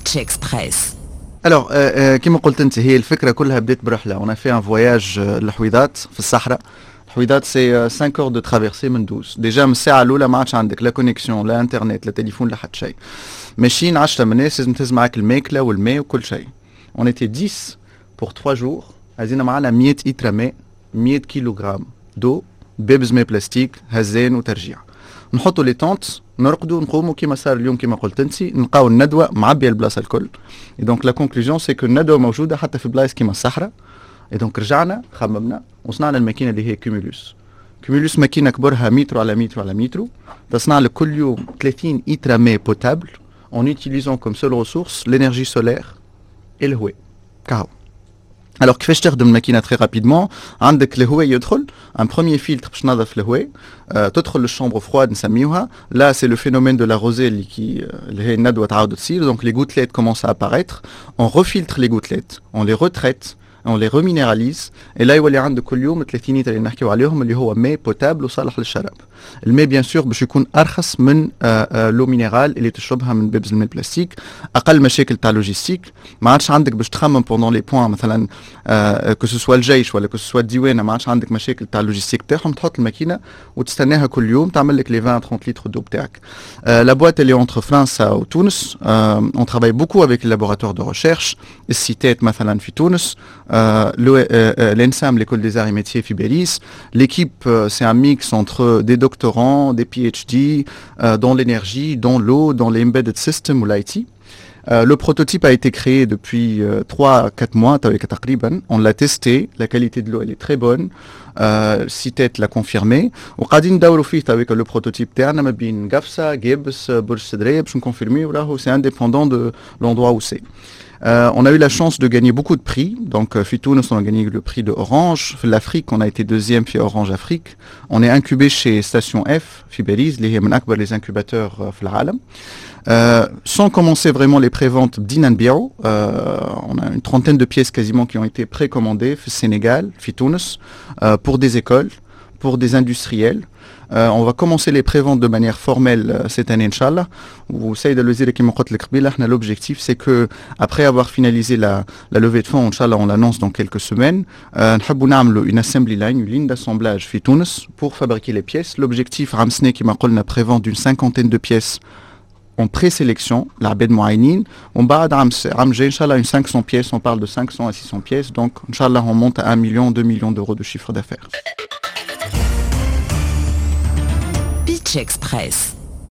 Pitch Express. Alors, كما قلت انت، هي الفكرة كلها بدات برحله. On a fait un voyage للحويضات في الصحراء. الحويضات c'est 5 heures de traversée من دوز. Déjà من الساعة الاولى ما عادش عندك لا connexion، لا انترنت، لا تليفون، لا حتى شيء. ماشيين 10 من الناس، لازم تهز معاك الماكلة والماء وكل شيء. On était 10 pour 3 jours. هزينا معنا 100 لتر ماء، 100 كيلوغرام d'eau، دبابز ماء بلاستيك، هزان وترجيع. نحطوا les tentes، نرقدوا، نقوموا كيما صار اليوم، كيما قلت انت، نلقاو الندوة معبيه البلاصة الكل. Donc la conclusion, c'est que الندوة موجودة حتى في بلايص كيما الصحراء. Et donc رجعنا خممنا وصنعنا الماكينة اللي هي Cumulus. Cumulus ماكينة كبرها متر على متر على متر، تصنع لك كل يوم 30 لتر ماء potable en utilisant comme seule ressource l'énergie solaire et الهواء كهو. Alors كيفاش تخدم الماكينه؟ Très rapidement، عندك الهواء يدخل un premier filtre باش تنظف الهواء، تدخل لل chambre froide نسميوها. Là, c'est le phénomène de la rosée اللي كي اللي هي الندوة تعاود تصير. Donc les gouttelettes commencent à apparaître, on refiltre les gouttelettes, on les retraite, on les reminéralise et là يولي عندك كل يوم 30 لتر اللي نحكيو عليهم، اللي هو ماء potable وصالح للشراب. الماء bien sûr باش يكون ارخص من l'eau minérale اللي تشربها من دبابز الماء البلاستيك، اقل مشاكل تاع logistique، ما عادش عندك باش تخمم pendant les points مثلا que ce soit الجيش ولا que ce soit الديوانه، ما عادش عندك مشاكل تاع logistique تاعهم. تحط الماكينة وتستناها كل يوم تعمل لك les 20 30 litres d'eau بتاعك. La boîte, elle est entre فرنسا وتونس. On travaille beaucoup avec les laboratoires de recherche، ال CITET مثلا في تونس، l'ENSAM, l'école des arts et métiers في باريس. L'équipe, c'est un mix entre des doctorants, des PhD dans l'énergie, dans l'eau, dans les embedded systems ou l'IT. Le prototype a été créé depuis 3-4 mois تقريبا. On l'a testé, la qualité de l'eau, elle est très bonne. CITET l'a confirmé. وقاعدين ندوروا فيه avec le prototype تاعنا ما بين قفصة، قابس، برج سدرية باش نكونفيرمي وراهو c'est indépendant de l'endroit où c'est. On a eu la chance de gagner beaucoup de prix. Donc, في تونس, on a gagné le prix de Orange. في l'Afrique, on a été deuxième في Orange Afrique. On est incubé chez Station F, في باريس, اللي هي من أكبر les incubateurs في العالم. Sans commencer vraiment les préventes, بدينا نبيعو. On a une trentaine de pièces quasiment qui ont été précommandées في السنغال, في تونس, pour des écoles, pour des industriels. On va commencer les préventes de manière formelle cette année, إن شاء الله. والسيدة الوزيرة كما قلت لك قبيلة، احنا l'objectif, c'est que après avoir finalisé la levée de fonds, إن شاء الله on l'annonce dans quelques semaines, نحبوا نعملوا une assembly line, une ligne d'assemblage في تونس pour fabriquer les pièces. L'objectif عام سنة كما قلنا prévente d'une cinquantaine de pièces en présélection العباد معينين، ومن بعد عام جاي ان شاء الله une 500 pièces. On parle de 500 à 600 pièces, donc إن شاء الله on monte à 1 million, 2 millions d'euros de chiffre d'affaires. Pitch Express.